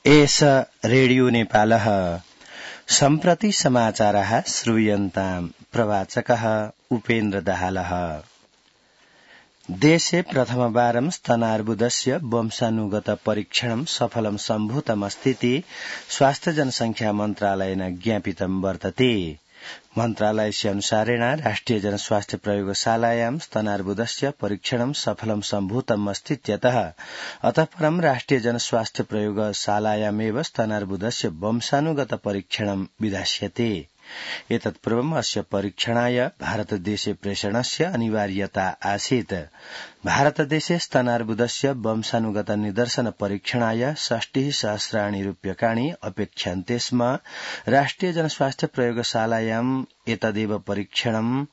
एष रेडियो नेपालः सम्प्रति समाचारः श्रूयन्ताम् प्रवाचकः उपेन्द्र दाहालः। देशे प्रथमवारं स्तनार्बुदस्य वंशानुगत परीक्षणं सफलं सम्भूतमस्तीति स्वास्थ्य जनसंख्या मन्त्रालयेन ज्ञापितं वर्तते। मन्त्रालयस्य अनुसारेण राष्ट्रिय जनस्वास्थ्य प्रयोगशालायां स्तनार्बुदस्य परीक्षणं सफलं सम्भूतम् अस्तीत्यतः अतः परं राष्ट्रिय जनस्वास्थ्य प्रयोगशालायामेव स्तनार्बुदस्य वंशानुगत परीक्षणं विधास्यते। एतत्पूर्वम् अस्य परीक्षणाय भारतदेशे प्रेषणस्य अनिवार्यता आसीत्। भारतदेशे स्तनार्बुदस्य वंशानुगत निदर्शन परीक्षणाय 60,000 रूप्यकाणि अपेक्ष्यन्ते स्म। राष्ट्रिय जनस्वास्थ्य प्रयोगशालायाम् एतदेव परीक्षणं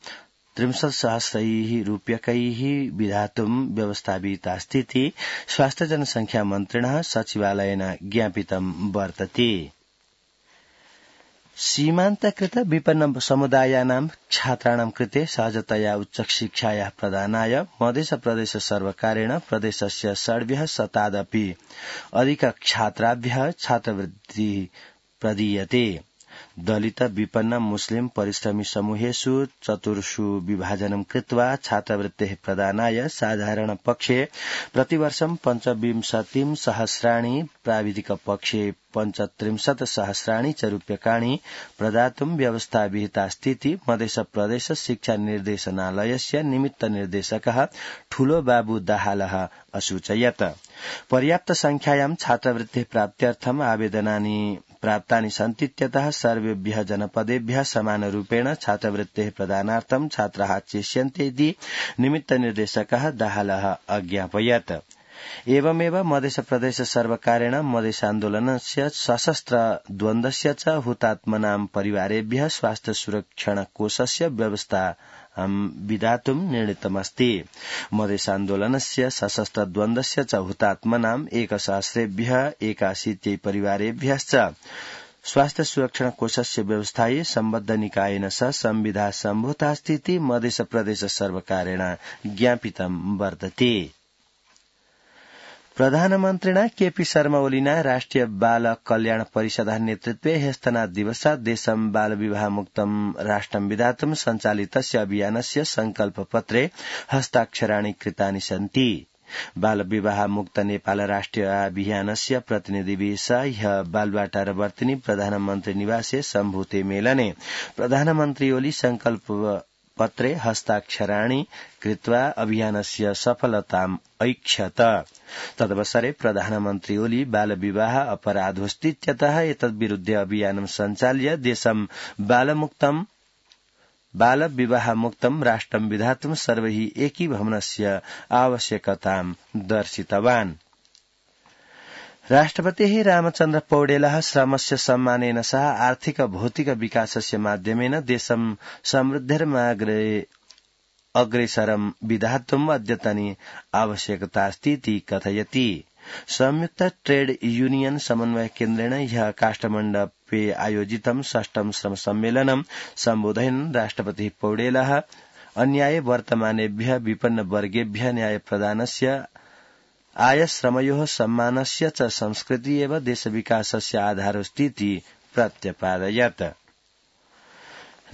63,000 रूप्यकैः विधातुं व्यवस्थापितास्तीति स्वास्थ्य जनसंख्या मन्त्रिणः सचिवालयेन ज्ञापितं वर्तते। सीमान्तकृत विपन्न समुदायानां छात्राणां कृते सहजतया उच्चशिक्षायाः प्रदानाय मध्यप्रदेश सर्वकारेण प्रदेशस्य 600 अधिक छात्राभ्यः छात्रवृत्तिः प्रदीयते। दलित विपन्न मुस्लिम परिश्रमी समूहेषु 4 विभाजनं कृत्वा छात्रवृत्तेः प्रदानाय साधारण पक्षे प्रतिवर्षं 25,000 प्राविधिक पक्षे 35,000 च रूप्यकाणि प्रदातुं व्यवस्था विहितास्तीति मध्यप्रदेश शिक्षा निर्देशनालयस्य निमित्त निर्देशकः ठूलो बाबू दाहालः असूचयत्। पर्याप्त संख्यायां छात्रवृत्तेः प्राप्त्यर्थम् आवेदनानि प्राप्तानि सन्तीत्यतः सर्वेभ्यः जनपदेभ्यः समानरूपेण छात्रवृत्तेः प्रदानार्थं छात्राः चेष्यन्ते इति निमित्त निर्देशकः दाहालः अज्ञापयत्। एवमेव मध्यप्रदेश सर्वकारेण मधेशान्दोलनस्य सशस्त्र द्वन्द्वस्य च हुतात्मनां परिवारेभ्यः स्वास्थ्य सुरक्षण कोषस्य व्यवस्था विधातुं निर्णीतमस्ति। मधेशान्दोलनस्य सशस्त्र द्वन्द्वस्य च हुतात्मनां 1,000 परिवारेभ्यश्च स्वास्थ्य सुरक्षण कोषस्य व्यवस्थायै सम्बद्ध निकायेन सह संविधा सम्भूतास्तीति मध्यप्रदेश सर्वकारेण ज्ञापितं वर्तते। प्रधानमन्त्रिणा केपी शर्मा ओलीना राष्ट्रिय बाल कल्याण परिषदः नेतृत्वे ह्यस्तनां दिवसात् देशं बालविवाहमुक्तं राष्ट्रं विधातुं सञ्चालितस्य अभियानस्य संकल्पपत्रे हस्ताक्षराणि कृतानि सन्ति। बालविवाह मुक्त नेपाल राष्ट्रिय अभियानस्य प्रतिनिधिभिः सह ह्यः बालुवाटार वर्तिनी प्रधानमन्त्री निवासे सम्भूते मेलने प्रधानमन्त्री ओली संकल्प पत्रे हस्ताक्षराणि कृत्वा अभियानस्य सफलताम् ऐक्षत। तदवसरे प्रधानमन्त्री ओली बालविवाह अपराधोऽस्तीत्यतः एतद्विरुद्ध अभियानं सञ्चाल्य देशं बालविवाहमुक्तं राष्ट्रं विधातुं सर्वैः एकीभवनस्य आवश्यकतां दर्शितवान्। राष्ट्रपतिः रामचन्द्र पौडेलः श्रमस्य सम्मानेन सह आर्थिक भौतिक विकासस्य माध्यमेन देशं समृद्धिर्मार्गे अग्रेसरं विधातुम् अद्यतनी आवश्यकतास्तीति कथयति। संयुक्त ट्रेड यूनियन समन्वय केन्द्रेण ह्यः काष्ठमण्डपे आयोजितं 6ठं श्रम सम्मेलनं सम्बोधयन् राष्ट्रपतिः पौडेलः अन्याये वर्तमानेभ्यः विपन्न वर्गेभ्यः न्याय प्रदानस्य आय श्रमयोः सम्मानस्य च संस्कृति एव देशविकासस्य आधारोऽस्तीति प्रत्यपादयत्।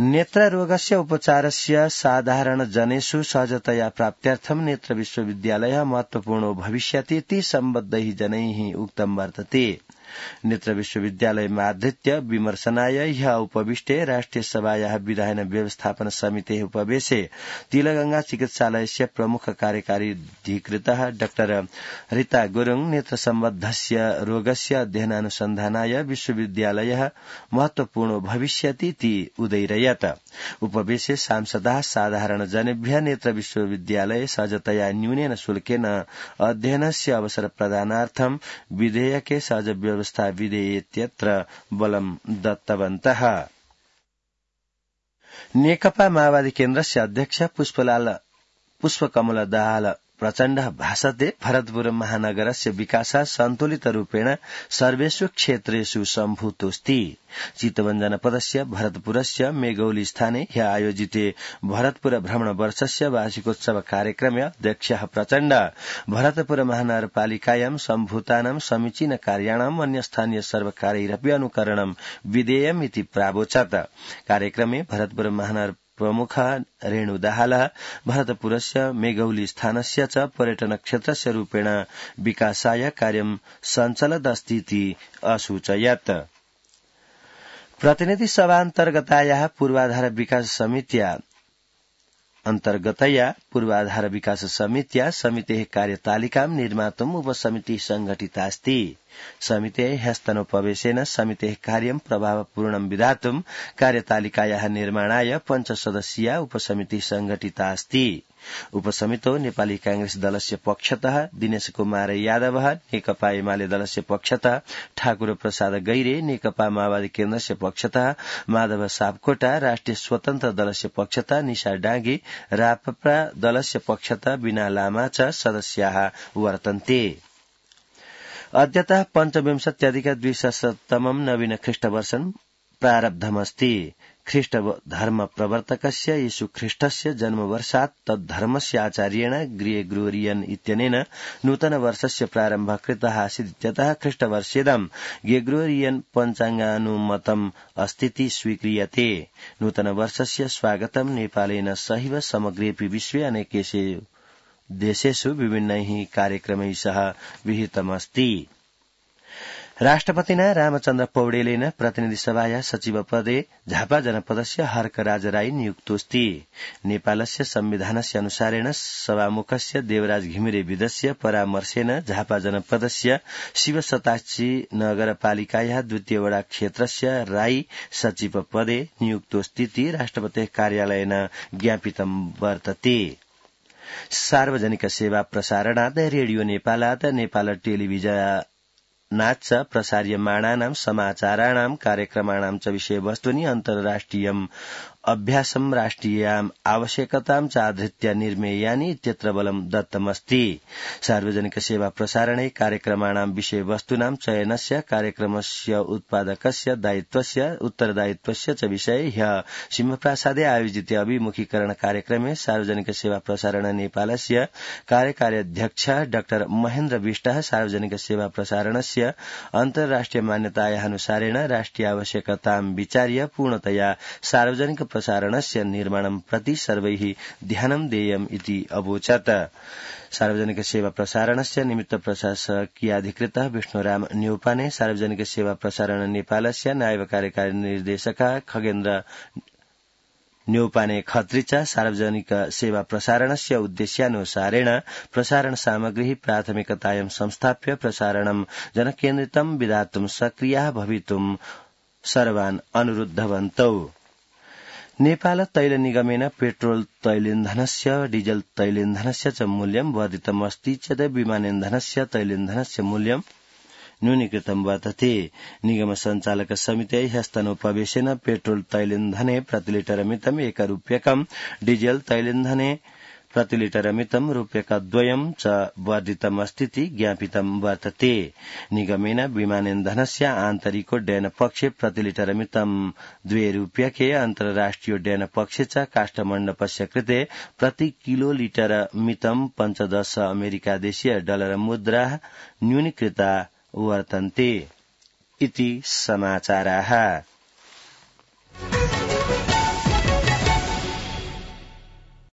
नेत्ररोगस्य उपचारस्य साधारण जनेषु सहजतया प्राप्त्यर्थं नेत्र विश्वविद्यालयः महत्वपूर्णो भविष्यति इति सम्बद्धैः जनैः उक्तं वर्तते। नेत्र विश्वविद्यालयमाधृत्य विमर्शनाय ह्यः उपविष्टे राष्ट्रिय सभायाः विधायन व्यवस्थापन समितेः उपवेशे तिलगंगा चिकित्सालयस्य प्रमुख कार्यकारी अधिकृतः डाक्टर रीता गुरुङ नेत्र सम्बद्धस्य रोगस्य अध्ययनानुसन्धानाय विश्वविद्यालयः महत्वपूर्णो भविष्यति इति उदैरयत्। उपवेशे सांसदाः साधारण जनेभ्यः नेत्र विश्वविद्यालये सहजतया न्यूनेन शुल्केन अध्ययनस्य अवसर प्रदानार्थं विधेयके सहज व्यवस्था विधेयेत्यत्र बलं दत्तवन्तः। नेकपा माओवादी केन्द्रस्य अध्यक्ष पुष्पकमल दाहाल प्रचण्ड भाषते भरतपुर महानगरस्य विकासः सन्तुलितरूपेण सर्वेषु क्षेत्रेषु सम्भूतोऽस्ति। चितवन जनपदस्य भरतपुरस्य मेगौली स्थाने ह्य आयोजिते भरतपुर भ्रमणवर्षस्य वार्षिकोत्सव कार्यक्रमे अध्यक्षः प्रचण्ड भरतपुर महानगरपालिकायां सम्भूतानां समीचीन कार्याणाम् अन्यस्थानीय सर्वकारैरपि अनुकरणं विधेयमिति प्रावोचत्। कार्यक्रमे भरतपुर महानगर प्रमुख रेणु दाहालः भरतपुरस्य मेगौली स्थानस्य च पर्यटन क्षेत्रस्य रूपेण विकासाय कार्यं सञ्चलदस्तीति असूचयत्। प्रतिनिधि सभान्तर्गतायाः पूर्वाधार विकास समित्या अन्तर्गतया पूर्वाधार विकास समित्या समितेः कार्यतालिकां निर्मातुम् उपसमितिः संघटितास्ति। समितेः ह्यस्तनोपवेशेन समितेः कार्यं प्रभावपूर्णं विधातुं कार्यतालिकायाः निर्माणाय 5 सदस्यीया उपसमितिः संघटितास्ति। उपसमितौ नेपाली कांग्रेस दलस्य पक्षतः दिनेश कुमार यादव, नेकपा एमाले दलस्य पक्षतः ठाकुर प्रसाद गैरे, नेकपा माओवादी केन्द्रस्य पक्षतः माधव सापकोटा, राष्ट्रिय स्वतन्त्र दलस्य पक्षतः निशा डाँगी, राप्रपा दलस्य पक्षतः बिना लामा च सदस्याः वर्तन्ते। अद्यतः पञ्चविंशत्यधिक-द्विसहस्रतमं नवीन ख्रीष्टवर्षं प्रारब्धमस्ति। ख्रीष्ट धर्म प्रवर्तकस्य येशु ख्रीष्टस्य जन्मवर्षात् तद्धर्मस्य आचार्येण ग्रेगोरियन इत्यनेन नूतन वर्षस्य प्रारम्भः कृतः आसीत् इत्यतः ख्रीष्टवर्षेदं ग्रेगोरियन पञ्चाङ्गानुमतम् अस्तीति स्वीक्रियते। नूतन वर्षस्य स्वागतं नेपालेन सहैव समग्रेऽपि विश्वे अनेकेषु देशेषु विभिन्नैः कार्यक्रमैः सह विहितमस्ति। राष्ट्रपतिना रामचन्द्र पौडेलेन प्रतिनिधि सभाया सचिव पदे झापा जनपदस्य हर्कराज राई नियुक्तोऽस्ति। नेपालस्य संविधानस्य अनुसारेण सभामुखस्य देवराज घिमिरे विदस्य परामर्शेन झापा जनपदस्य शिवशताक्षी नगरपालिकायाः द्वितीय वडा क्षेत्रस्य राई सचिव पदे नियुक्तोऽस्तीति राष्ट्रपतेः कार्यालयेन ज्ञापितं वर्तते। सार्वजनिक सेवा प्रसारणात् रेडियो नेपालात् नेपाल टेलिभिजन नाच प्रसार्यमाणानां समाचाराणां कार्यक्रमाणां च विषयवस्तूनि अन्तर्राष्ट्रियम् अभ्यासं राष्ट्रियाम् आवश्यकतां च आधृत्य निर्मेयानि इत्यत्र बलं दत्तमस्ति। सार्वजनिक सेवा प्रसारणे कार्यक्रमाणां विषयवस्तूनां चयनस्य कार्यक्रमस्य उत्पादकस्य दायित्वस्य उत्तरदायित्वस्य च विषये ह्यः सिंहप्रासादे आयोजिते अभिमुखीकरण कार्यक्रमे सार्वजनिक सेवा प्रसारण नेपालस्य कार्यकारी अध्यक्ष डाक्टर महेन्द्र विष्टः सार्वजनिक सेवा प्रसारणस्य अन्तर्राष्ट्रिय मान्यतायाः अनुसारेण राष्ट्रिय आवश्यकतां विचार्य पूर्णतया सार्वजनिक प्रसारणस्य निर्माणं प्रति सर्वैः ध्यानं देयम् इति अवोचत्। सार्वजनिक सेवा प्रसारणस्य निमित्त प्रशासकीयाधिकृतः विष्णुराम न्यौपाने सार्वजनिक सेवा प्रसारण नेपालस्य नायब कार्यकारी निर्देशकः खगेन्द्र न्यौपाने खत्री च सार्वजनिक सेवा प्रसारणस्य उद्देश्यानुसारेण प्रसारण सामग्री प्राथमिकतायां संस्थाप्य प्रसारणं जनकेन्द्रितं विधातुं सक्रियाः भवितुं सर्वान् अनुरुद्धवन्तौ। नेपाल तैल निगमेन पेट्रोल तैलेन्धनस्य डीजल तैलेन्धनस्य च मूल्यं वर्धितमस्ति चेत् विमानेन्धनस्य तैलेन्धनस्य मूल्यं न्यूनीकृतं वर्तते। निगम संचालक समितेः ह्यस्तनोपवेशेन पेट्रोल तैलेन्धने प्रतिलिटरमितं ₹1, डीजल तैलेन्धने प्रतिलिटरमितं ₹2 च वर्धितमस्तीति ज्ञापितं वर्तते। निगमेन विमानेन्धनस्य आन्तरिकोड्डयन पक्षे प्रतिलिटरमितं ₹2, अन्तर्राष्ट्रियोड्डयन पक्षे च काष्ठमण्डपस्य कृते प्रति किलोलिटरमितं 15 अमेरिकादेशीय डलर मुद्राः न्यूनीकृता वर्तन्ते इति समाचाराः।